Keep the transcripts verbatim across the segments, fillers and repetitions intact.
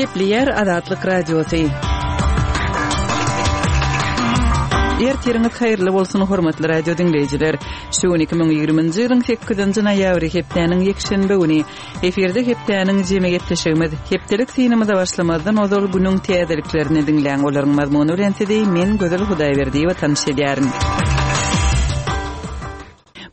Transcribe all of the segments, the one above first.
Gepleýär Azatlyk Radiosy. Ertiriňiz haýyrly bolsun, hormatly radio diňleýjiler. Şu gün iki müň ýigriminji ýylyň sekizinji noýabry, hepdäniň ýekşenbe güni. Efirde hepdäniň jemi gepleşigimiz. Hepdelik synymyza başlamazdan ozal günüň täzeliklerini diňläň. Olaryň mazmuny bilen sizi men Gözel Hudaýberdiýewa tanyş edýärin.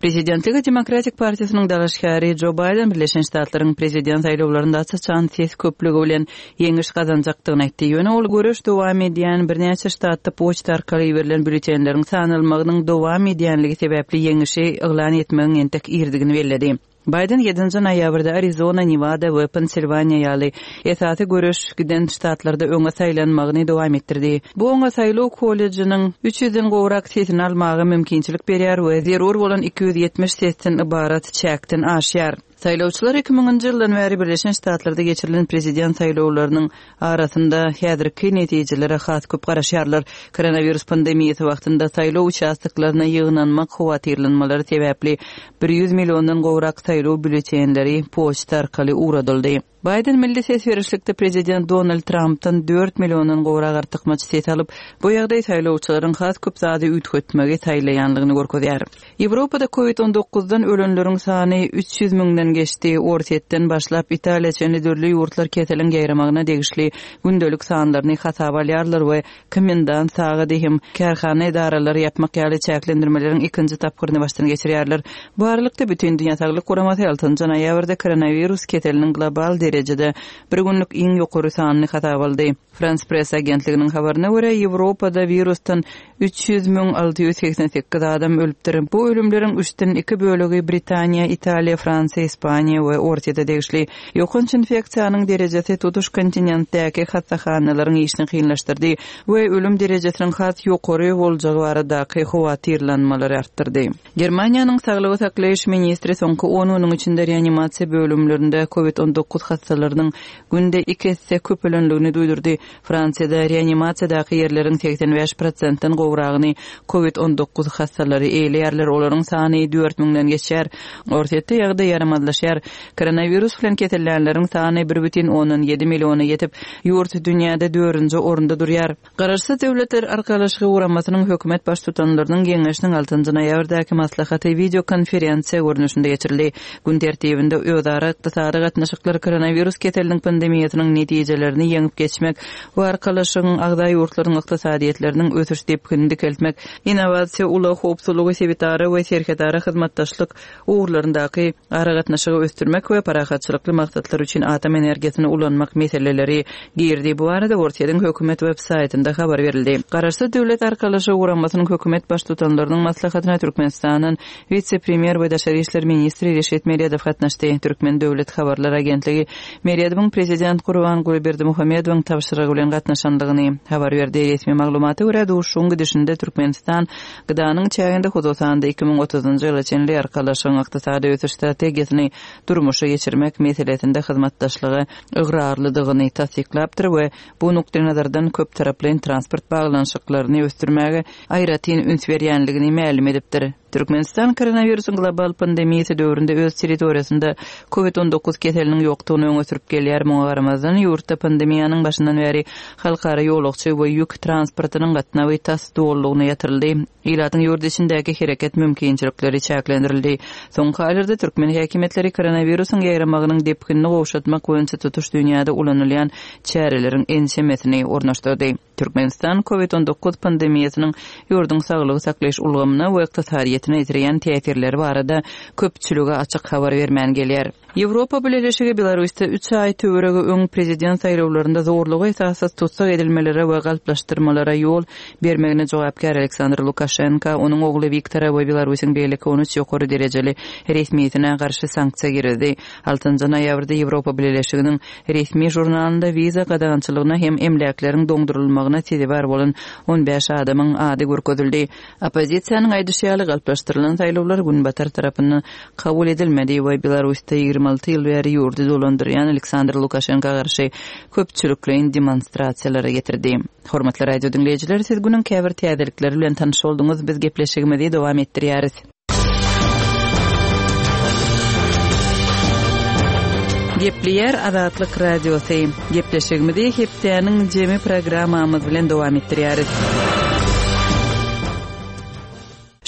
Prezidentlige Demokratik partiýasynyň dalaşgäri Jo Baýden Birleşen Ştatlaryň prezident saýlawlarynda aç-açan ses köplügi bilen ýeňiş gazanjakdygyny aýtdy. Ýöne ol göreş dowam edýän birnäçe ştatda poçta arkaly iberilen býulletenleriň sanalmagynyň dowam edýänligi sebäpli ýeňişi yglan etmegiň entek irdigini belledi. Baýden ýedinji noýabrda Arizona, Newada we Pensilwaniýa ýaly esasy göreş giden ştatlarda öňe saýlanmagyny dowam etdirdi. Bu oňa saýlaw kollejiniň üç ýüzden gowrak sesini almaga mümkinçilik berýär we zerur bolan iki ýüz ýetmiş sesden ybarat çäkden aşýar. Saýlawçylar iki müňünji ýyldan bäri Birleşen Ştatlarda geçirilen prezident saýlawlarynyň arasynda häzirki netijelere has köp garaşýarlar. Koronawirus pandemiýasy wagtynda saýlaw uçastoklaryna ýygnanmak howatyrlanmalary sebäpli bir ýüz milliondan gowrak saýlaw býulletenleri poçta arkaly ugradyldy. Baýden milli ses berişlikde prezident Donald Trampdan dört milliondan gowrak artykmaç ses alyp, bu ýagdaý saýlawçylaryň has köp zady üýtgetmegi saýlaýanlygyny görkezýär. Ýewropada covid on dokuzdan ölenleriň sany üç ýüz müňden geçdi. Orsýetden başlap Italiýa çenli dürli ýurtlar keseliň ýaýramagyna degişli gündelik sanlaryny hasaba alýarlar we komendant sagady hem kärhana edaralary ýapmak ýaly çäklendirmeleriň ikinji tapgyryny başdan geçirýärler. Bu aralykda Bütindünýä Saglyk Guramasy altynjy noýabrda koronawirus keseliniň global derejede bir günlük iň ýokary sanyny hasaba aldy. Frans Press agentliginiň habaryna görä, Ýewropada wirusdan üç ýüz müň alty ýüz segsen sekiz adam ölüpdir. Bu ölümleriň üçden iki bölegi Britaniýa, Italiýa, Fransiýa, Ispaniýa we Orsýete degişli. Ýokanç infeksiýanyň derejesi tutuş kontinentdäki hassahanalaryň işini kynlaşdyrdy we ölüm derejesiniň has ýokary boljagy baradaky howatyrlanmalary artdyrdy. Germaniýanyň saglygy saklaýyş ministri soňky on günüň içinde reanimasiýa bölümlerinde covid on dokuz hassalarynyň günde iki esse köpelenligini duýdurdy. Fransiýada reanimasiýadaky ýerleriň segsen bäş prosentden gowragyny covid on dokuz hassalary eýleýärler. Olaryň sany dört müňden geçýär. Orsýetde ýagdaý ýaramazlaşýar. Koronawirus bilen kesellänleriň sany bir bütin ondan ýedi milliona ýetip, ýurt dünýäde dördünji orunda durýar. Garaşsyz Döwletler Arkalaşygy Guramasynyň hökümet baştutanlarynyň geňeşiniň altynjy noýabrdaky maslahaty wideokonferensiýa görnüşinde geçirildi. Gün tertibinde özara ykdysady gatnaşyklar, koronawirus keseliniň pandemiýasynyň netijelerini ýeňip geçmek we arkalaşygyň agza ýurtlaryň ykdysadyýetleriniň ösüş depginini dikeltmek, innowasiýa, ulag howpsuzlygy, sebitara we serhedara hyzmatdaşlyk ugurlaryndaky aragatnaşygy ösdürmek we parahatçylykly maksatlar üçin atom energiýasyny ulanmak meseleleri girdi. Bu arada Orsýetiň hökümet web saýtynda habar berildi. Garaşsyz Döwlet Arkalaşygy Guramasynyň hökümet baştutanlarynyň maslahatyna Türkmenistandan wise-premýer we daşary işler ministri Reşit Meredow gatnaşdy. Türkmen Döwlet Habarlar Agentligi Meredowyň prezident Gurbanguly Berdimuhamedowyň tabşyrygy bilen gatnaşandygyny habar berdi. Resmi maglumata görä, duşuşygyň gidişinde Türkmenistan gydanyň çäginde hususan-da iki müň otuzynjy ýyla çenli arkalaşygyň ykdysady ösüş strategiýasyny durmuşa geçirmek meselesinde hyzmatdaşlyga ygrarlydygyny tassyklapdyr we bu nukdaýnazardan köp taraplaýyn transport baglanyşyklaryny ösdürmäge aýratyn üns berýänligini mälim edipdir. Türkmenistan koronawirusyň global pandemiýasy döwründe öz territoriýasynda covid on dokuz keseliniň ýokdugyny öňe sürüp gelýär. Muňa garamazdan, ýurtda pandemiýanyň başyndan bäri halkara ýolagçy we ýük transportynyň gatnawy tas dolulygyna ýatyryldy. Ilatyň ýurt içindäki hereket mümkinçilikleri çäklendirildi. Soňky aýlarda türkmen häkimiýetleri koronawirusyň ýaýramagynyň depginini gowşatmak boýunça tutuş dünýäde ulanylýan çäreleriň ençemesini ornaşdyrdy. Türkmenistan covid on dokuz pandemiýasynyň ýurduň saglygy saklaýyş ulgamyna we ykdysadyýetine ýetirýän täsirleri barada köpçülige açyk habar bermän gelýär. Ýewropa Bileleşigi Belarusda üç aý töweregi öň prezident saýlawlarynda zorlugy esassyz tussag edilmelere we galplaşdyrmalara ýol bermegine jogapkär Aleksandr Lukaşenko, onuň ogly Wiktora we Belarusyň beýleki on üç ýokary derejeli resmiýetine garşy sanksiýa girizdi. Altynjy noýabrda Ýewropa Bileleşiginiň resmi žurnalynda wiza gadagançylygyna hem emläkleriň doňdurylmagyna sezewar bolan on bäş adamyň ady görkezildi. Oppozisiýanyň aýdyşy ýaly galplaşdyrylan saýlawlar günbatar tarapyndan kabul edilmedi we Belarusda ýigrimi alty ýyl bäri ýurdy dolandyrýan Aleksandr Lukaşenko garşy köpçülikleýin demonstrasiýalara getirdi. Hormatly radio diňleýjiler, siz günüň käbir täzelikleri bilen tanyş bolduňyz. Biz gepleşigimizi dowam etdirýäris. Gepleýär Azatlyk Radiosy. Gepleşigimizi hepdäniň jemi programmamyz bilen dowam etdirýäris.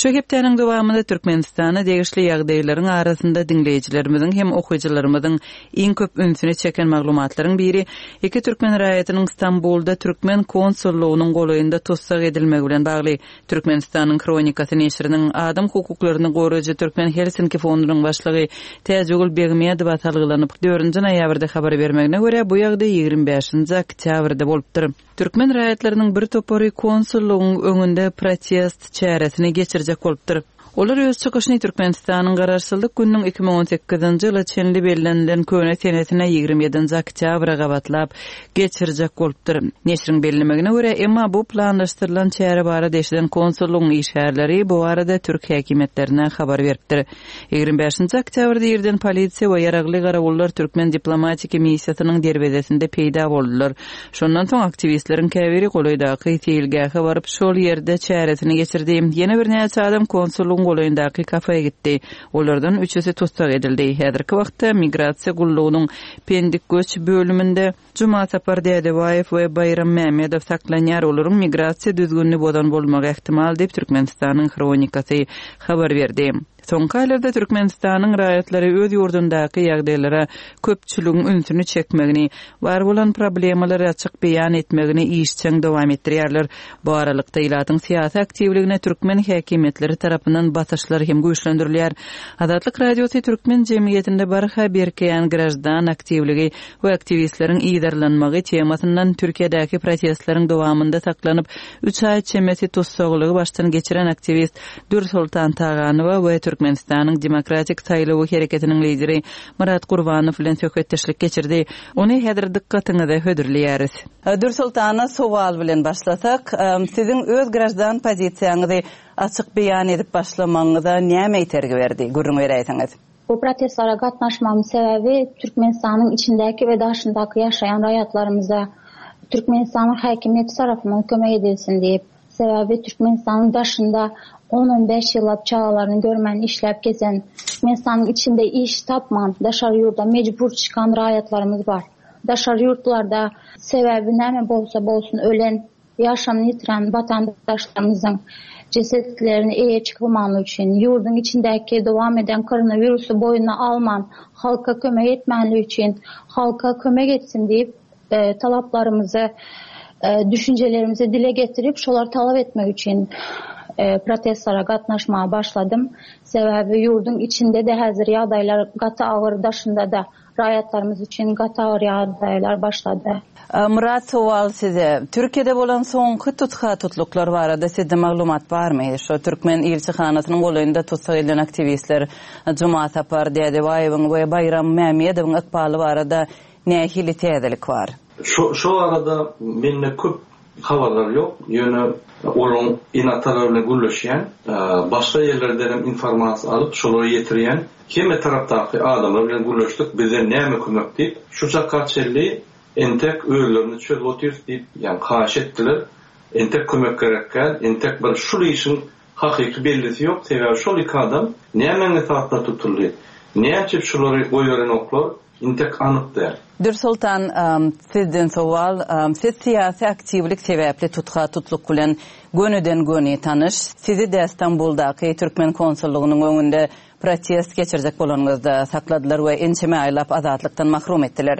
Şu hepdäniň dowamynda Türkmenistana degişli ýagdaýlaryň arasynda diňleýjilerimiziň hem okyjylarymyzyň iň köp ünsüni çeken maglumatlaryň biri iki türkmen raýatynyň Stambulda türkmen konsullygynyň golaýynda tussag edilmegi bilen bagly. Türkmenistanyň Hronikasy neşiriniň adam hukuklaryny goraýjy Türkmen Helsinki fondunyň başlygy Täjigül Begmedowa salgylanyp dördünji noýabrda habar bermegine görä, bu ýagdaý ýigrimi bäşinji oktýabrda bolupdyr. Türkmen raýatlarynyň bir topary konsullygyň öňünde protest çäresini geçirjek bolupdyr. Olar öz çykyşyny Türkmenistanyň Garaşsyzlyk gününiň iki müň on sekizinji ýyla çenli bellenilen köne senesine ýigrimi ýedinji oktýabra gabatlap geçirjek bolupdyr. Neşiriň bellemegine görä, emma bu planlaşdyrylan çäre barada eşiden konsullygyň işgärleri bu barada türk häkimiýetlerine habar beripdir. Ýigrimi bäşinji oktýabrda irden polisiýa we ýaragly garawullar türkmen diplomatiki missiýasynyň derwezesinde peýda boldular. Şondan soň aktiwistleriň käbiri golaýdaky seýilgähe baryp, şol ýerde çäresini geçirdi. Ýene birnäçe adam konsullygyň golaýyndaky kafeýe gitdi. Olardan üçüsi tussag edildi. Häzirki wagtda migrasiýa gullugynyň Pendik göç bölüminde Jumasapar Dädebaýew we Baýram Mämmedow saklanýar. Olaryň migrasiýa düzgünini bozan bolmagy ähtimal diýip Türkmenistanyň Hronikasy habar berdi. Soňky aýlarda Türkmenistanyň raýatlary öz ýurdundaky ýagdaýlara köpçüligiň ünsüni çekmegini, bar bolan problemalary açyk beýan etmegini işjeň dowam etdirýärler. Bu aralykda ilatyň syýasy aktiwligine türkmen häkimiýetleri tarapyndan basyşlar hem güýçlendirilýär. Azatlyk Radiosy türkmen jemgyýetinde barha berkeýän graždan aktiwligi we aktiwistleriň yzarlanmagy temasyndan Türkiýedäki protestleriň dowamynda saklanyp, üç aý çemesi tussaglygy başdan geçiren aktiwist Dürsoltan Taganowa we Türkmenistanyň Demokratik Saýlawy hereketiniň lideri Myrat Gurbanow bilen söhbetdeşlik geçirdi. Ony häzir dykgatyňyza hödürleýäris. Dürsoltana sowal bilen başlasak, siziň öz graždan pozisiýaňyzy açyk beýan edip başlamagyňyza näme itergi berdi? Gürrüň beräýseňiz. Bu protestlere gatnaşmamyň sebäbi Türkmenistanyň içindäki we daşyndaky ýaşaýan raýatlarymyza Türkmenistanyň häkimiýeti tarapyndan kömek edilsin diýip, sebäbi Türkmenistanyň daşynda on-on bäş ýyllap çagalaryny görmän işläp gezen, Türkmenistanyň içinde iş tapman, daşary ýurda mejbur çykan raýatlarymyz bar. Daşary ýurtlarda sebäbi näme bolsa bolsun ölen, ýaşamyny ýitiren watandaşlarymyzyň cesetlerini eýe çykylmany üçin, ýurduň içindäki dowam eden koronawirusy boýuna alman, halka kömek etmäni üçin, halka kömek etsin diýip, e, talaplarymyzy, e, düşünjelerimizi dile getirip, şolar talap etmek üçin, e, protestlara gatnaşmaga başladym. Sebäbi ýurduň içinde de häzir ýagdaýlar gaty agyr, daşynda da raýatlarymyz üçin gaty agyr ýagdaýlar başlady. E, Murat, sowal size. Türkiýede bolan soňky tutha tutluklar barada sizde maglumat barmy? Şu türkmen ilçihanasynyň golaýynda tussag edilen aktiwistler Jumasapar Dädebaýewiň we Baýram Mämmedowyň ykbaly barada nähili täzelik bar? Şu, şu arada mende köp habarlar ýok. Ýöne olaryň ene-atalar bilen gürleşýän, e, başga ýerlerden hem informasiýa alyp, şolary ýetirýän hemme tarapdaky adamlar bilen gürleşdik. Bizden näme kömek diýip, şu çaka çenli entek özlerini çözüp otyrys diýip, ýani haýyş etdiler. Entek kömek gerekkä, entek bir şul işiň hakyky bellisi ýok. Sebäbi şol iki adam nämäň esasynda tutuldy? Näçe şulary goýberenoklar? Entek anyk däl. Dürsoltan, ym, sizden sowal, ym, siz syýasy aktiwlik sebäpli tutha tutluk bilen gönüden göni tanyş. Sizi de Stambuldaky türkmen konsullygynyň öňünde protest geçirjek bolanyňyzda sakladylar we ençeme aýlap azatlykdan mahrum etdiler.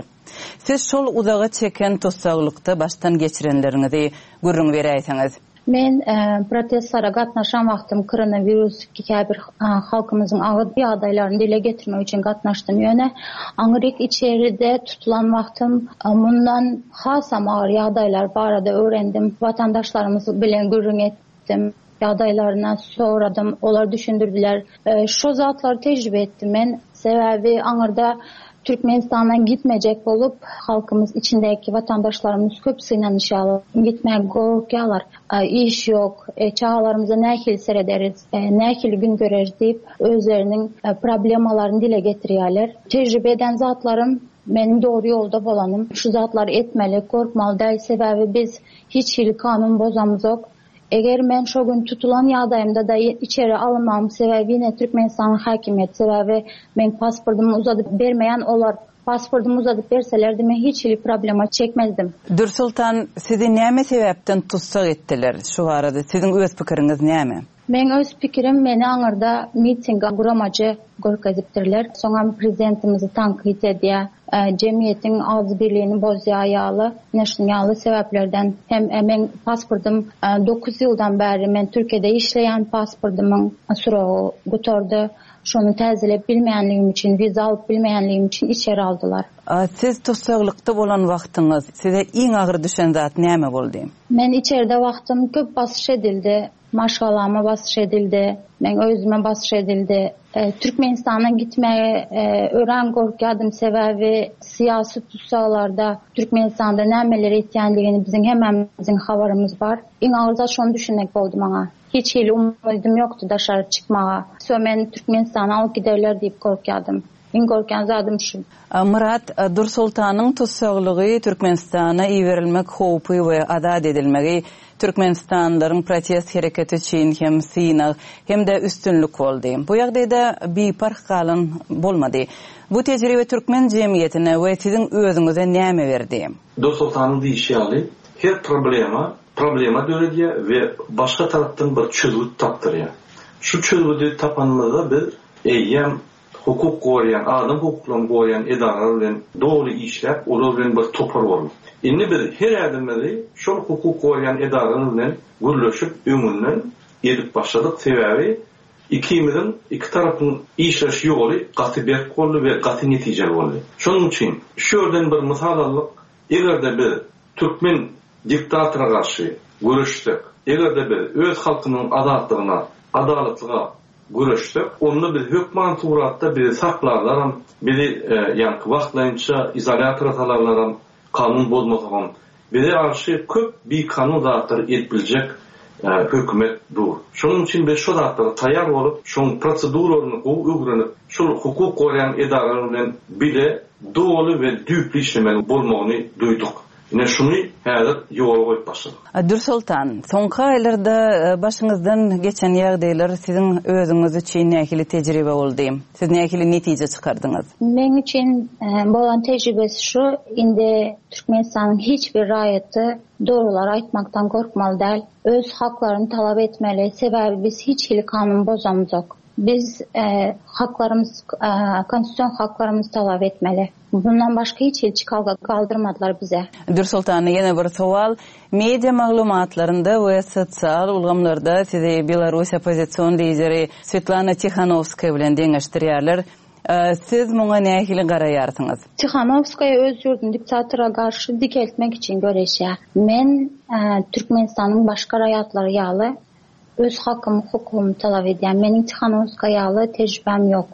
Siz şol uzaga çeken tussaglykda başdan geçirenleriňizi gürrüň beräýseňiz. Men, e, protestlara gatnaşan wagtym koronavirus käbir, e, halkymyzyň agyr ýagdaýlaryny dile getirmek üçin gatnaşdym. Ýöne aňryk içeride tutulan wagtym, e, mundan hasam agyr ýagdaýlar barada öwrendim. Watandaşlarymyz bilen gürrüň etdim. Ýagdaýlaryna soradym, olar düşündirdiler. E, şu zatlary tejribe etdim men. Sebäbi aňyrda Türkmenistandan gitmejek bolup, halkymyz içindäki watandaşlarymyz köp synanyşýarlar. Gitmäge gorkýarlar. E, iş ýok, e, çagalarymyza nähili serederiz, e, nähili gün göreris diýip, özleriniň, e, problemalaryny dile getirýärler. Tejribe eden zatlarym meniň dogry ýolda bolanym. Şu zatlary etmeli, korkmaly däl, sebäbi biz hiç hili kanun bozamyzok. Eger men şo gün tutulan ýagdaýymda da içeri alynmagym sebäbi ýene Türkmenistanyň häkimiýeti, sebäbi men pasportymy uzadyp bermeýän olar Pasportumy uzadyp berselerdi men hiç hili problema çekmezdim. Dürsoltan, sizi näme sebäpden tussag etdiler? Şu barada siziň öz pikiriňiz näme? Meň öz pikirim, meni aňyrda mitinge guramajy görkezipdirler. Soňam prezidentimizi tankyt edýär, jemgyýetiň agzybirligini bozýar ýaly, ine ýaly sebäplerden hem meň pasportum dokuz ýyldan bäri men Türkiýede işleýän, pasportumyň srogy gutardy. Şony täzelep bilmeýänligim üçin, wiza alyp bilmeýänligim üçin içeri aldylar. Siz tussaglykda bolan wagtyňyz size iň agyr düşen zat näme boldy? Men içeride wagtym köp basyş edildi. Maşgalama basyş edildi. Men özüme basyş edildi. Türkmenistana gitmeye örän gorkýardym, sebäbi syýasy tussaglarda Türkmenistanda nämeler etýänligini biziň hemmämiziň habarymyz bar. Iň agyr zat şony düşünmek boldy maňa. Hiç hili umydym ýokdy daşary çykmaga. So men Türkmenistana alyp giderler diýip gorkýardym. Iň gorkýan zadym şu. Myrat, Dürsoltanyň tussaglygy, Türkmenistana iberilmek howpy we azat edilmegi Türkmenistanlylaryň protest hereketi üçin hem synag hem-de üstünlik boldy. Bu ýagdaýda biparh galan bolmady. Bu tejribe türkmen jemgyýetine we siziň özüňize näme berdi? Dürsoltanyň diýişi ýaly, her problema problema döredýär we başga tarapdan bir çözgüt tapdyrýar. Şu çözgüdi tapanymyzda biz eýýäm hukuk goraýan, adam hukuklaryny goraýan edaralar bilen doly işläp, olar bilen bir topar bolduk. Indi biz her ädimimizi şol hukuk goraýan edaralar bilen gürleşip öňünden edip başladyk. Sebäbi ikimiziň iki tarapyň işleş ýoly gaty berk boldy we gaty netijeli boldy. Şonuň üçin şu ýerden bir mysal aldyk. Eger-de biz türkmen diktatora garşy göreşsek, eger-de biz öz halkymyzyň azatlygyna, adalatlyga göreşsek, onda biz hökman suratda bizi saklarlaram, bizi ýaňky wagtlaýynça izolýatora salarlaram, kanun bozmasagam, bize garşy köp bikanun zatlar edip biljek hökümet dur. Şonuň üçin biz şu zatlara taýýar bolup, şoň proseduralaryny gowy öwrenip, şol hukuk goraýan edaralar bilen bile doly we düýpli işlemeli bolmagyny duýduk. Ine şuny häzir ýola goýup başladyk. Dürsoltan, soňky aýlarda başyňyzdan geçen ýagdaýlar siziň özüňiz üçin nähili tejribe boldy? Siz nähili netije çykardyňyz? Meň üçin bolan tejribesi şu, indi Türkmenistanyň hiç bir raýaty dogrular aýtmakdan gorkmaly däl. Öz haklaryny talap etmeli. Sebäbi biz hiç hili kanun bozamyzok. Biz haklarymyz, konstitusion haklarymyzy talap etmeli. Bundan başga hiç hili çykalga kaldyrmadylar bize. Dürsoltan, ýene bir sowal. Media maglumatlarynda we sosial ulgamlarda sizi Belarus oppozision lideri Svetlana Tikhanovskaya bilen deňeşdirýärler. Siz muňa nähili garaýarsyňyz? Tikhanovskaya öz ýurduny diktatora garşy dikeltmek üçin göreşýär. Men Türkmenistanyň başga raýatlary ýaly öz hakymy, hukugymy talap edýän. Meniň Tikhanovskaya ýaly tejribäm ýok.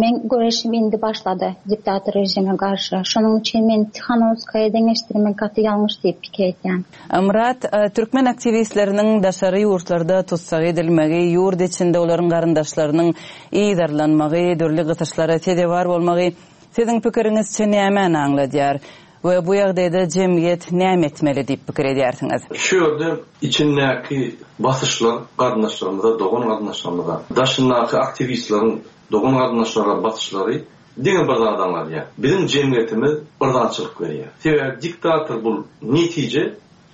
Men göreşim indi başlady diktator rejime garşy. Şonuň üçin men Tikhanovskaya deňeşdirmek gaty ýalňyş diýip pikir edýän. Myrat, türkmen aktiwistleriniň daşary ýurtlarda tussag edilmegi, ýurt içinde olaryň garyndaşlarynyň yzarlanmagy, dürli gysyşlara sezewar bolmagy siziň pikiriňizçe nämäni aňladýar? We bu ýagdaýda jemgyýet näme etmeli diýip pikir edýärsiňiz? Şu ýerde içindäki basyşlar garyndaşlarymyza, dogan garyndaşlarymyza, daşyndaky aktiwistleriň dogan garyndaşlara basyşlary diňe bir zat aňladýar. Biziň jemgyýetimiz bir zatçylyk berýär. Sebäbi diktator bu netije,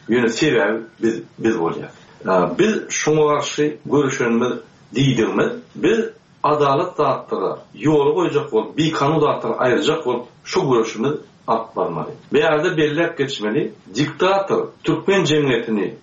ýöne sebäbi biz, biz bolýar. Biz şoňa garşy görüşenimiz diýdigimiz, biz adalat zatlara ýoly goýjak bolup, bikanun zatlara aýyrjak bolup şu görüşimiz alyp barmaly. Bu ýerde belläp geçmeli, diktator türkmen jemgyýetini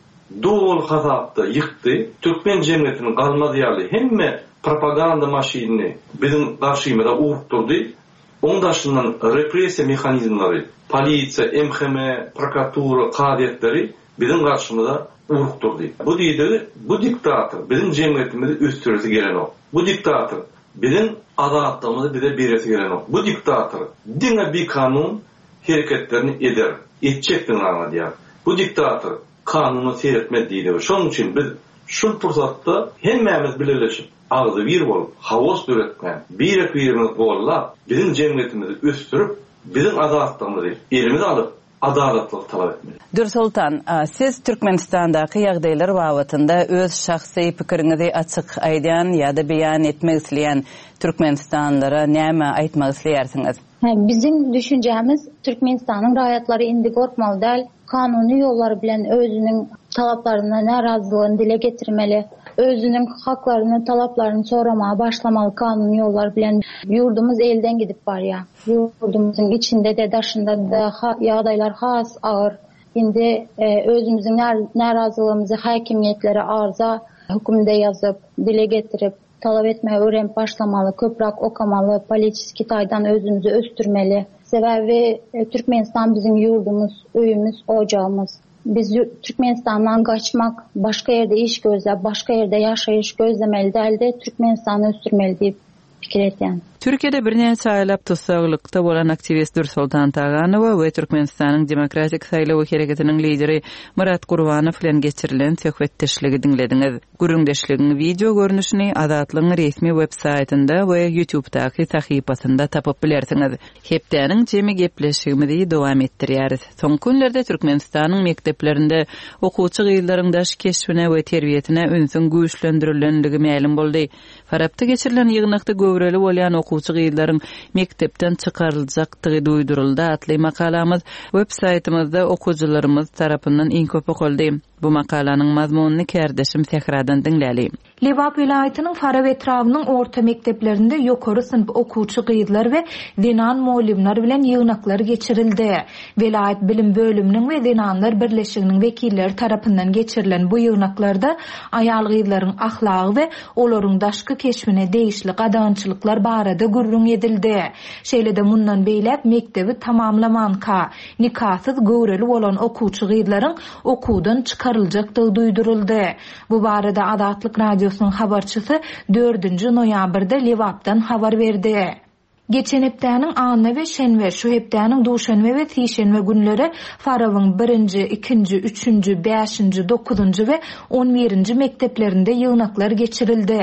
doly hasapda ýykdy. Türkmen jemgyýetiniň galmaz ýaly hemme propaganda maşynyny biziň garşymyza urupdurdy. Oň daşyndan repressiýa mehanizmleri, polisiýa, M H M, prokuratura, kazyýetleri biziň garşymyza urupdurdy. Bu diýdigi, bu diktator biziň jemgyýetimizi ösdüresi gelenok. Bu diktator biziň azatlygymyzy bize beresi gelenok. Bu diktator diňe bikanun hereketlerini eder, etjekdigini aňladýar. Bu diktator kanuna seyretmez diýdi. Şonuň üçin biz şu pursatda hemmämiz bileleşip, agzy bir bolup, haos döretmän, birek-birimizi gollap, biziň jemgyýetimizi ösdürip, biziň azatlygymyzy elimize alyp, adalatlygy talap etmeli. Dürsoltan, siz Türkmenistandaky ýagdaýlar babatynda öz şahsy pikiriňizi açyk aýdýan ýa-da beýan etmek isleýän Türkmenistanlylara näme aýtmak isleýärsiňiz? Biziň düşünjämiz Türkmenistanyň raýatlary indi gorkmaly däl, kanuny ýollar bilen özüniň talaplaryna närazylygyny dile getirmeli, özüniň haklaryny, talaplaryny soramaga başlamaly kanuny ýollar bilen. Ýurdumyz elden gidip barýar. Ýurdumyzyň içinde-de, daşynda-da ýagdaýlar has agyr. Indi özümiziň närazylygymyzy häkimiýetlere arza hökümde ýazyp, dile getirip, talap etmeye öwrenip başlamaly, köpräk okamaly, politiski taýdan özümizi ösdürmeli. Sebäbi Türkmenistan biziň ýurdumyz, öýümiz, ojagymyz. Biz Türkmenistandan gaçmak, başga ýerde iş gözläp, başga ýerde ýaşaýyş gözlemeli däldi, Türkmenistany ösdürmeli diýip pikir edýän. Türkiýede birnäçe aýlap tussaglykda bolan aktiwist Dürsoltan Taganowa we Türkmenistanyň Demokratik saýlawy hereketiniň lideri Myrat Gurbanow bilen geçirilen söhbetdeşligi diňlediňiz. Gürrüňdeşligiň wideo görnüşini Azatlygyň resmi web saýtynda we YouTube'daky sahypasynda tapyp bilersiňiz. Hepdäniň jemi gepleşigimizi dowam etdirýäris. Soňky günlerde Türkmenistanyň mekdeplerinde okuwçy gyzlaryň daş keşbine we terbiýesine ünsüň güýçlendirilendigi mälim boldy. Farapda geçirilen ýygnakda göwreli bolýan okuwçy gyzlaryň mekdepden çykaryljakdygy duýduryldy atly makalamyz web saýtymyzda okuwçylarymyz tarapyndan iň köp okaldy. Bu makalanyň mazmunyny kärdeşim Sähradan diňläli. Lebap welaýatynyň Farap etrabynyň orta mekdeplerinde ýokary synp okuwçy gyzlar we zenan mugallymlar bilen ýygnaklar geçirildi. Welaýat bilim bölüminiň we zenanlar birleşiginiň wekilleri tarapyndan geçirilen bu ýygnaklarda aýal gyzlaryň ahlagy we olaryň daşky keşbine degişli gadagançylyklar barada gürrüň edildi. Şeýle-de mundan beýläk mekdebi tamamlamanka nikasyz göwreli bolan okuwçy gyzlaryň okuwdan çykaryljakdygy duýduryldy. Bu barada Azatlyk Radiosynyň habarçysy dördünji noýabrda Lebapdan habar berdi. Geçen hepdäniň anna we şenbe, şu hepdäniň duşenbe we sişenbe günleri Farabyň birinji, ikinji, üçünji, bäşinji, dokuzynjy we on birinji mekdeplerinde ýygnaklar geçirildi.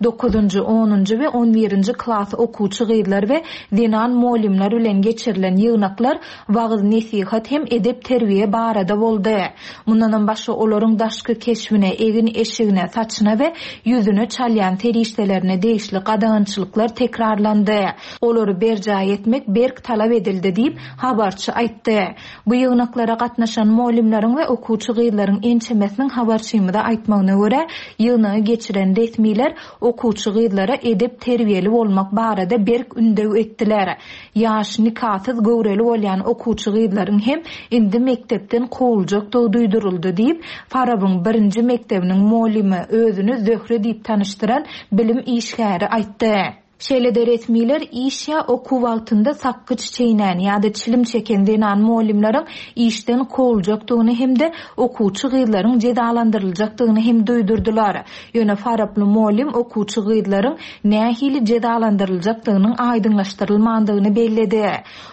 Dokuzynjy, onunjy we on birinji klas okuwçy gyzlar we zenan mugallymlar bilen geçirilen ýygnaklar wagyz nesihat hem edep terbiýe barada boldy. Mundanam başga olaryň daşky keşbine, egin eşigine, saçyna we ýüzüne çalýan serişdelerine degişli gadagançylyklar tekrarlandy. Olary berjaý etmek berk talap edildi diýip habarçy aýtdy. Bu ýygnaklara gatnaşan mugallymlaryň we okuwçy gyzlaryň ençemesiniň habarçymyza aýtmagyna görä, ýygnagy geçiren resmiler okuwçy gyzlara edep terbiýeli bolmak barada berk ündew etdiler. Ýaş nikasyz göwreli bolýan okuwçy gyzlaryň hem indi mekdepden kowuljakdygy duýduryldy diýip, Farabyň birinji mekdebiniň mugallymy özüni Zöhre diýip tanyşdyran bilim işgäri aýtdy. Şeýle-de resmiler iş ýa okuw wagtynda sakgyç çeýnän ýa-da çilim çeken zenan mugallymlaryň işden kowuljakdygyny hem-de okuwçy gyzlaryň jezalandyryljakdygyny hem duýdurdylar. Ýöne Faraply mugallym okuwçy gyzlaryň nähili jezalandyryljakdygynyň aýdyňlaşdyrylmandygyny belledi.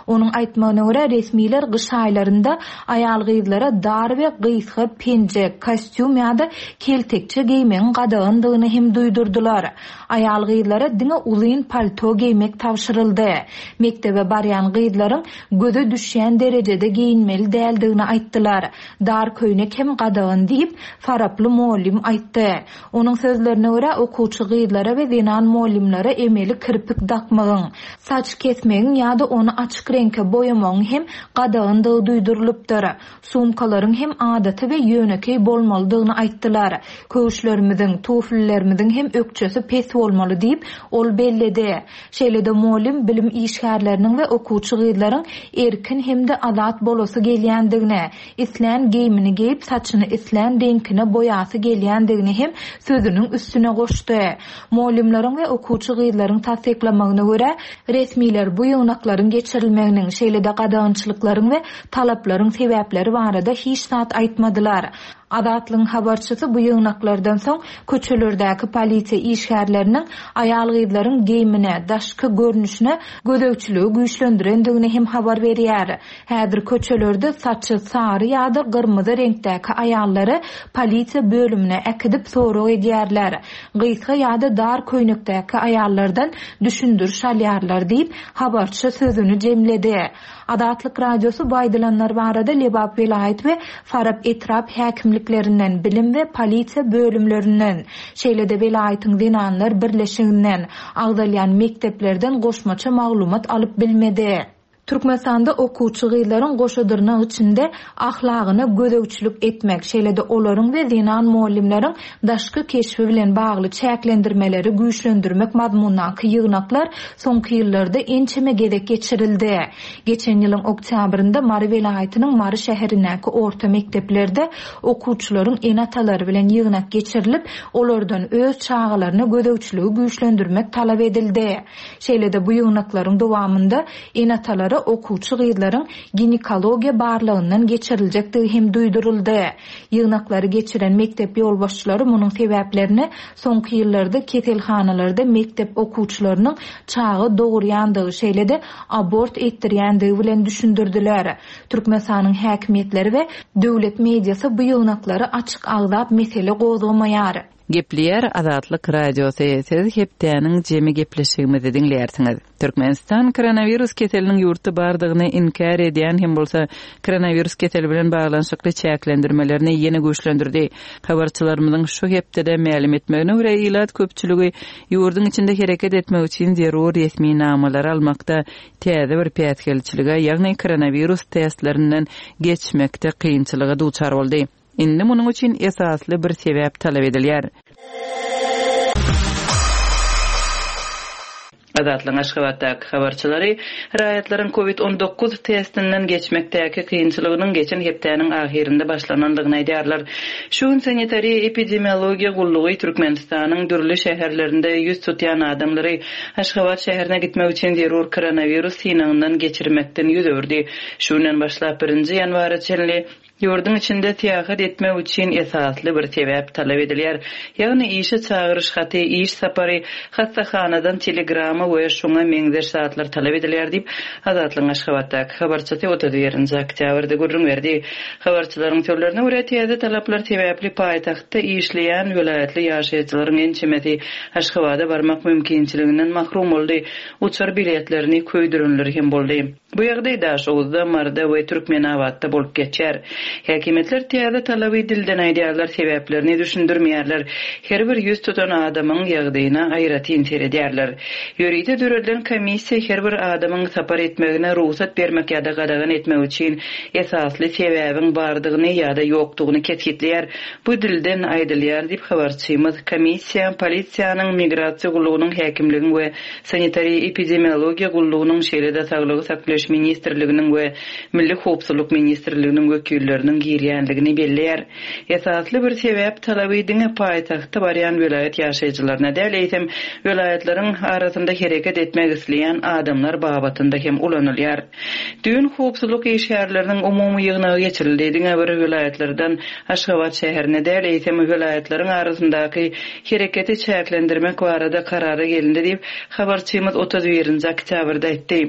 Onuň aýtmagyna görä resmiler gyş aýlarynda aýal gyzlara dar we gysga penjek, kostýum ýa-da keltekçe geýmegiň gadagandygyny hem duýdurdylar. Aýal gyzlara diňe uzyn palto geýmek tabşyryldy. Mektebe barýan gyzlaryň göze düşýän derejede geýinmeli däldigini aýtdylar. Dar köýnek hem gadagan diýip Faraply mugallym aýtdy. Onuň sözlerine görä okuwçy gyzlara we zenan mugallymlara emeli kirpik dakmagyň, saç kesmegiň ýa-da ony açyk reňke boýamagyň hem gadagandygy duýdurylypdyr. Sumkalaryň hem adaty we ýönekeý bolmalydygyny aýtdylar. Köwüşlerimiziň, tuflilerimiziň hem ökçesi pes bolmaly diýip ol belledi. Şeýle-de mugallym bilim işgärleriniň we okuwçy gyzlaryň erkin hem-de azat bolasy gelýändigini, islän geýimini geýip saçyny islän reňkine boýasy gelýändigini hem sözüniň üstüne goşdy. Mugallymlaryň we okuwçy gyzlaryň tassyklamagyna görä, resmiler bu ýygnaklaryň geçirilmeginiň, şeýle-de gadagançylyklaryň we talaplaryň sebäpleri barada hiç zat aýtmadylar. Azatlygyň habarçysy bu ýygnaklardan soň köçelerdäki polisiýa işgärleriniň aýal gyzlaryň geýimine, daşky görnüşine gözegçiligi güýçlendirendigini hem habar berýär. Häzir köçelerde saçy sary ýa-da gyrmyzy reňkdäki aýallary polisiýa bölümine äkidip sorag edýärler. Gysga ýa-da dar köýnekdäki aýallardan düşündiriş alýarlar diýip habarçy sözüni jemledi. Azatlyk Radiosy bu aýdylanlar barada Lebap welaýat we Farap etrap häkimliklerinden, bilim we polisiýa bölümlerinden, şeýle-de welaýatyň zenanlar birleşiginden, agzalýan mekdeplerden goşmaça maglumat alyp bilmedi. Türkmenistanda okuwçy gyzlaryň goşa dyrnak içinde ahlagyna gözegçilik etmek, şeýle-de olaryň we zenan mugallymlaryň daşky keşbi bilen bagly çäklendirmeleri güýçlendirmek mazmundaky ýygnaklar soňky ýyllarda ençeme gezek geçirildi. Geçen ýylyň oktýabrynda Mary welaýatynyň Mary şäherindäki orta mekdeplerde okuwçylaryň ene-atalary bilen ýygnak geçirilip, olardan öz çagalaryna gözegçiligi güýçlendirmek talap edildi. Şeýle-de bu ýygnaklaryň dowamynda ene-atalara okuwçy gyzlaryň ginekologiýa barlagyndan geçiriljekdigi hem duýduryldy. Ýygnaklary geçiren mekdep ýolbaşçylary munuň sebäplerini soňky ýyllarda keselhanalarda mekdep okuwçylarynyň çaga dogurýandygy, şeýle-de abort etdirýändigi bilen düşündirdiler. Türkmenistanyň häkimiýetleri we döwlet mediasy bu ýygnaklary açyk agzap mesele gozgamaýar. Gepleýär Azatlyk Radiosy. Siz hepdäniň jemi gepleşigimizi diňleýärsiňiz. Türkmenistan koronawirus keseliniň ýurtda bardygyny inkär edýän hem bolsa koronawirus keseli bilen baglanyşykly çäklendirmelerini ýene güýçlendirdi. Habarçylarymyzyň şu hepdede mälim etmegine görä ilat köpçüligi ýurduň içinde hereket etmek üçin zerur resminamalary almakda täze bir päsgelçilige, ýagny koronawirus testlerinden geçmekde kynçylyga duçar boldy. Indi munuň üçin esasly bir sebäp talap edilýär. Azatlygyň Aşgabatdaky habarçylary raýatlaryň COVID on dokuz testinden geçmekdäki kynçylygynyň geçen hepdäniň ahyrynda başlanandygyny aýdýarlar. Şu gün sanitariýa epidemiologiýa gullugy Türkmenistanyň dürli şäherlerinde ýüz tutýan adamlary Aşgabat şäherine gitmek üçin zerur koronawirus synagyndan geçirmekden ýüz öwürdi. Şu günden başlap birinji ýanwara çenli ýurduň içinde syýahat etmek üçin esasly bir sebäp talap edilýär. Ýagny işe çagyryş haty, iş sapary, hassahanadan telegrama we şoňa meňzeş zatlar talap edilýär diýip, Azatlygyň Aşgabatdaky habarçysy otuz birinji oktýabrda gürrüň berdi. Habarçylaryň sözlerine görä täze talaplar sebäpli paýtagtda işleýän welaýatly ýaşaýjylaryň ençemesi Aşgabada barmak mümkinçiliginden mahrum boldy. Uçar biletlerini köýdürenleri hem boldy. Bu ýagdaý Daşoguzda, Marda we Türkmenabatda bolup geçer. Häkimiýetler täze talaby dilden aýdýarlar, sebäplerini düşündirmeýärler. Her bir ýüz tutan adamyň ýagdaýyna aýratyn seredýärler. Ýörite döredilen komissiýa her bir adamyň sapar etmegine rugsat bermek ýa-da gadagan etmek üçin esasly sebäbiň bardygyny ýa-da ýokdugyny kesgitleýär. Bu dilden aýdylýar diýip habarçymyz komissiýa, polisiýanyň, migrasiýa gullugynyň, häkimligiň we sanitariýa epidemiologiýa gullugynyň, şeýle-de saglygy saklaýyş ministrliginiň we Milli howpsuzlyk ministrliginiň wekilleriniň girýänligini belleýär. Esasly bir sebäp talaby diňe paýtagtda barýan welaýat ýaşaýjylaryna däl, eýsem welaýatlaryň arasynda hereket etmek isleýän adamlar babatynda hem ulanylýar. Düýn howpsuzlyk işgärleriniň umumy ýygnagy geçirildi. Diňe bir welaýatlardan Aşgabat şäherine däl, eýsem welaýatlaryň arasyndaky hereketi çäklendirmek barada karara gelindi diýip, habarçymyz otuz birinji oktýabrda aýtdy.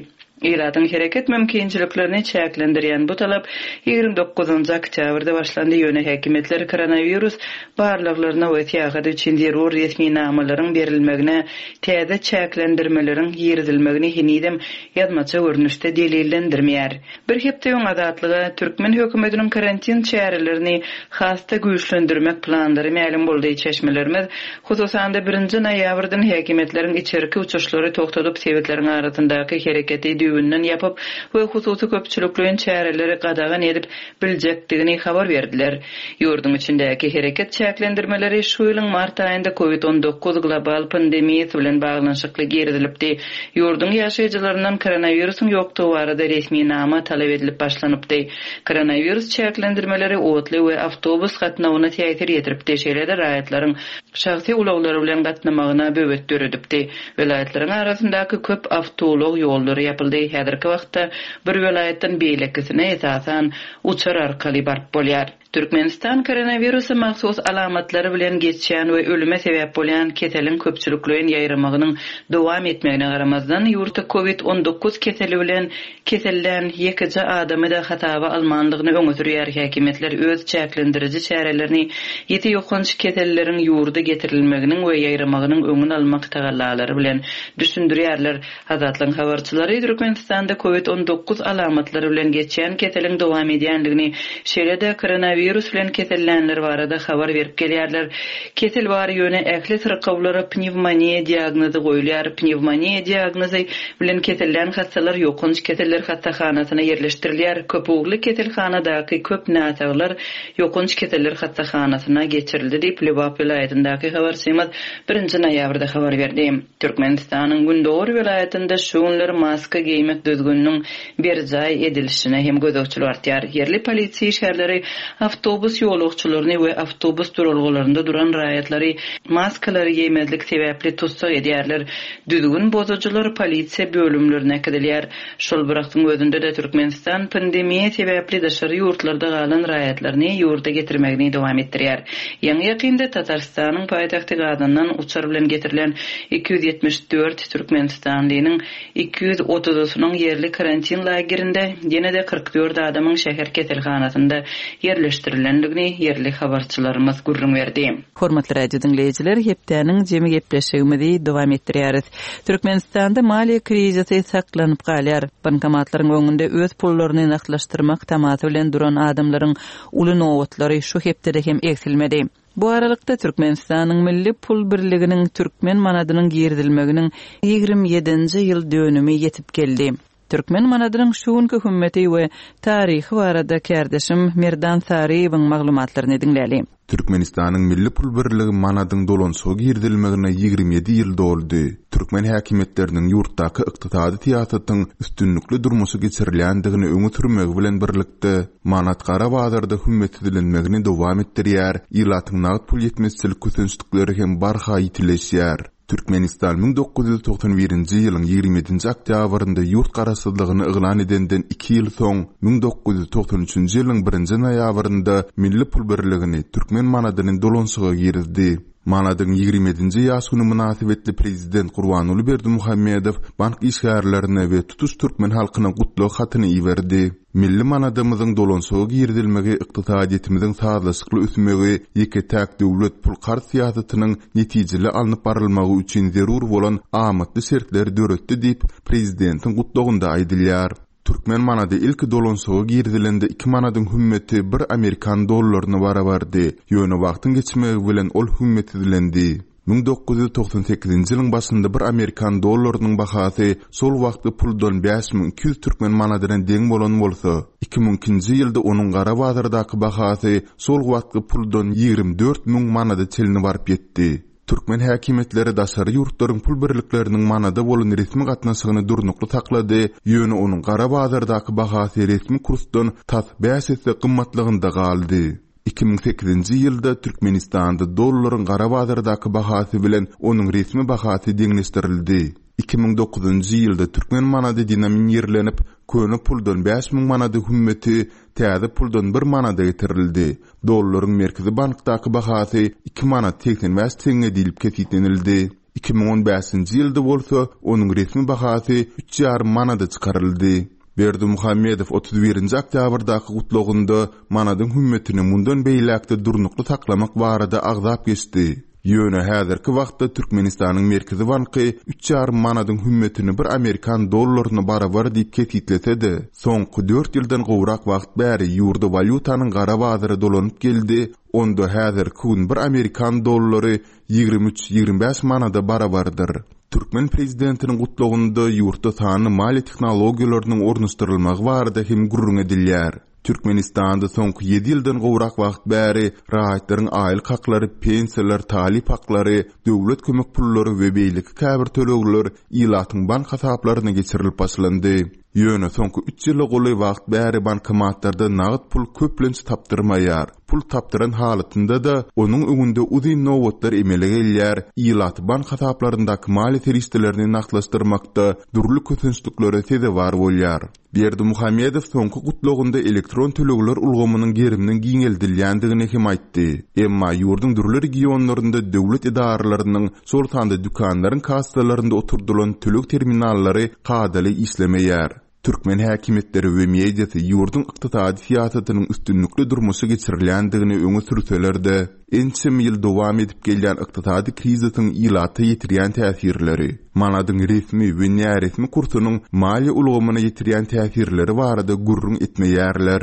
Ilatyň hereket mümkinçiliklerini çäklendirýän bu talap ýigrimi dokuzynjy oktýabrda başlandy. Ýöne häkimiýetler koronawirus barlaglaryna we syýahat üçin zerur resminamalaryň berilmegine täze çäklendirmeleriň girizilmegini henizem ýazmaça görnüşde delillendirmeýär. Bir hepde öň Azatlyga türkmen hökümetiniň karantin çärelerini has-da güýçlendirmek planlary mälim boldy. Çeşmelerimiz hususan-da birinji noýabrdan häkimiýetleriň içerki uçuşlary togtadyp sebitleriň arasyndaky hereketi düýbünden ýapyp we hususy köpçülikleýin çäreleri gadagan edip biljekdigini habar berdiler. Ýurduň içindäki hereket çäklendirmeleri şu ýylyň mart aýynda COVID on dokuz global pandemiýasy bilen baglanyşykly girizilipdi. Ýurduň ýaşaýjylaryndan koronawirusyň ýokdugy barada resminama talap edilip başlanypdy. Koronawirus çäklendirmeleri otly we awtobus gatnawyna täsir ýetiripdi. Şeýle-de raýatlaryň şahsy ulaglary bilen gatnamagyna böwet döredipdi. Welaýatlaryň arasyndaky köp awtoulag ýollary ýapyldy. Häzirki wagtda bir welaýatdan beýlekisine esasan uçar arkaly baryp bolýar. Türkmenistan koronawirusa mahsus alamatlary bilen geçýän we ölüme sebäp bolýan keseliň köpçülikleýin ýaýramagynyň dowam etmegine garamazdan ýurtda COVID on dokuz keseli bilen kesellän ýekeje adamy da hasaba almanlygyny öňe sürýär. Häkimiýetler öz çäklendiriji çärelerini ýiti ýokanç keselleriň ýurda getirilmeginiň we ýaýramagynyň öňüni almak tagallalary bilen düşündirýärler. Azatlygyň habarçylary Türkmenistanda COVID on dokuz alamatlary bilen geçýän keseliň dowam edýänligini, şeýle-de koronawirusyň Koronawirus bilen kesellänler barada habar berip gelýärler. Kesel bar ýöne ähli syrkawlara pnewmoniýa diagnozy goýulýar. Pnewmoniýa diagnozy bilen kesellän hassalar ýokanç keseller hassahanasyna ýerleşdirilýär. Köp ugurly keselhanadaky köp näsaglar ýokanç keseller hassahanasyna geçirildi diýip Lebap welaýatyndaky habarçymyz birinji noýabrda habar berdi. Türkmenistanyň Gündogar welaýatynda şu günler maska geýmek düzgüniniň berjaý edilişine hem gözegçilik artýar. Ýerli polisiýa işgärleri awtobus ýolagçylaryny we awtobus duralgalarynda duran raýatlary maskalary geýmezlik sebäpli tussag edýärler. Düzgün bozujular polisiýa bölümlerine äkidilýär. Şol bir wagtyň özünde de Türkmenistan pandemiýa sebäpli daşary ýurtlarda galan raýatlaryny ýurda getirmegini dowam etdirýär. Ýaňy ýakynda Tatarystanyň paýtagty Gazandan uçar bilen getirilen iki ýüz ýetmiş dört Türkmenistanlynyň iki ýüz otuzysynyň ýerli karantin lagerinde ýene de kyrk dört adamyň şäher keselhanasynda ýerleşdirilendigini ýerli habarçylarymyz gürrüň berdi. Hormatly radio diňleýjiler, hepdäniň jemi gepleşigimizi dowam etdirýäris. Türkmenistanda maliýe krizisi saklanyp galýar. Bankomatlaryň öňünde öz pullaryny nagtlaşdyrmak tamasy bilen duran adamlaryň uly nobatlary şu hepdede hem egsilmedi. Bu aralykda Türkmenistanyň Milli Pul Birliginiň Türkmen manadynyň girizilmeginiň ýigrimi ýedinji ýyl dönümi ýetip geldi. Türkmen manadynyň şu günki hümmeti we taryhy barada kärdeşim Merdan Saryýewiň maglumatlaryny diňläli. Türkmenistanyň Milli Pul Birligi manadyň dolanşyga girizilmegine ýigrimi ýedi ýyl doldy. Türkmen häkimiýetleriniň ýurtdaky ykdysady syýasatyň üstünlikli durmuşa geçirilýändigini öňe sürmegi bilen birlikde manat gara bazarda hümmetsizlenmegini dowam etdirýär, ilatyň nagt pul ýetmezçilik kösençlikleri hem barha ýitileşýär. Türkmenistan müň dokuz ýüz togsan birinji ýylyň ýigrimi ýedinji oktýabrynda ýurt garaşsyzlygyny yglan edenden iki ýyl soň müň dokuz ýüz togsan üçünji ýylyň birinji noýabrynda Milli Pul Birligini Türkmen manadyny dolanşyga girizdi. Manadyň ýigrimi ýedinji ýaş güni mynasybetli prezident Gurbanguly Berdimuhamedow bank işgärlerine we tutuş türkmen halkyna gutlag hatyny iberdi. Milli manadymyzyň dolanşyga girizilmegi ykdysadyýetimiziň sazlaşykly ösmegi, ýeke-täk döwlet pul karz syýasatynyň netijeli alnyp barylmagy üçin zerur bolan amatly şertleri döretdi diýip prezidentiň gutlagynda aýdylýar. Türkmen manady ilki dolanşyga girizilende iki manadyň hümmeti bir amerikan dollaryna barabardy. Ýöne wagtyň geçmegi bilen ol hümmetsizlendi. Müň dokuz ýüz togsan sekizinji ýylyň başynda bir amerikan dollarynyň bahasy şol wagtky puldan bäş müň iki ýüz türkmen manadyna deň bolan bolsa, iki müň ikinji ýylda onuň gara bazardaky bahasy şol wagtky puldan ýigrimi dört müň manada çenli baryp ýetdi. Türkmen häkimiýetleri daşary ýurtlaryň pul birlikleriniň manada bolan resmi gatnaşygyny durnukly saklady, ýöne onuň gara bazardaky bahasy resmi kursdan tas bäş esse gymmatlygynda galdy. Iki müň sekizinji ýylda Türkmenistanda dollaryň gara bazardaky bahasy bilen onuň resmi bahasy deňleşdirildi. Iki müň dokuzynjy ýylda türkmen manady denominirlenip, köne puldan bäş müň manady hümmeti täze puldan bir manada getirildi. Dollaryň Merkezi bankdaky bahasy iki manat seksen bäş teňňe diýlip kesgitlenildi. Iki müň on bäşinji ýylda bolsa onuň resmi bahasy üç ýarym manada çykaryldy. Berdimuhamedow otuz birinji oktýabrdaky gutlagynda manadyň hümmetini mundan beýläkde durnukly saklamak barada agzap geçdi. Ýöne häzirki wagtda Türkmenistanyň Merkezi banky üç ýarym manadyň hümmetini bir amerikan dollaryna barabar diýip kesgitlese-de, soňky dört ýyldan gowrak wagt bäri ýurda walýutanyň gara bazary dolanyp geldi, onda häzirki gün bir amerikan dollary ýigrimi üç ýigrimi bäş manada barabardyr. Türkmen prezidentiniň gutlagynda ýurtda sanly maliýe tehnologiýalarynyň ornaşdyrylmagy barada hem gürrüň edilýär. Türkmenistanda soňky ýedi ýyldan gowrak wagt bäri raýatlaryň aýlyk haklary, pensiýalar, talyp haklary, döwlet kömek pullary we beýleki käbir tölegler ilatyň bank hasaplaryna geçirilip başlandy. Ýöne soňky üç ýyla golaý wagt bäri bankomatlarda nagt pul köplenç tapdyrmaýar. Pul tapdyran halatynda-da onuň öňünde uzyn nobatlar emele gelýär. Ilat bank hasaplaryndaky maliýe serişdelerini nagtlaşdyrmakda dürli kösençliklere sezewar bolýar. Berdimuhamedow soňky gutlagynda elektron tölegler ulgamynyň geriminiň giňeldilýändigini hem aýtdy. Emma ýurduň dürli regionlarynda döwlet edaralarynyň, şol sanda dükanlaryň kassalarynda oturdylan töleg terminallary kadaly işlemeýär. Türkmen häkimiýetleri we mediasy ýurduň ykdysady syýasatynyň üstünlikli durmuşa geçirilýändigini öňe sürseler-de, ençeme ýyl dowam edip gelýän ykdysady krizisiň ilata ýetirýän täsirleri, manadyň resmi we näresmi kursunyň maliýe ulgamyna ýetirýän täsirleri barada gürrüň etmeýärler.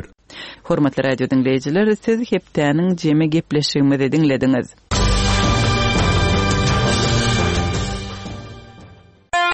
Hormatly radio diňleýjiler, siz hepdäniň jemi gepleşigimizi diňlediňiz.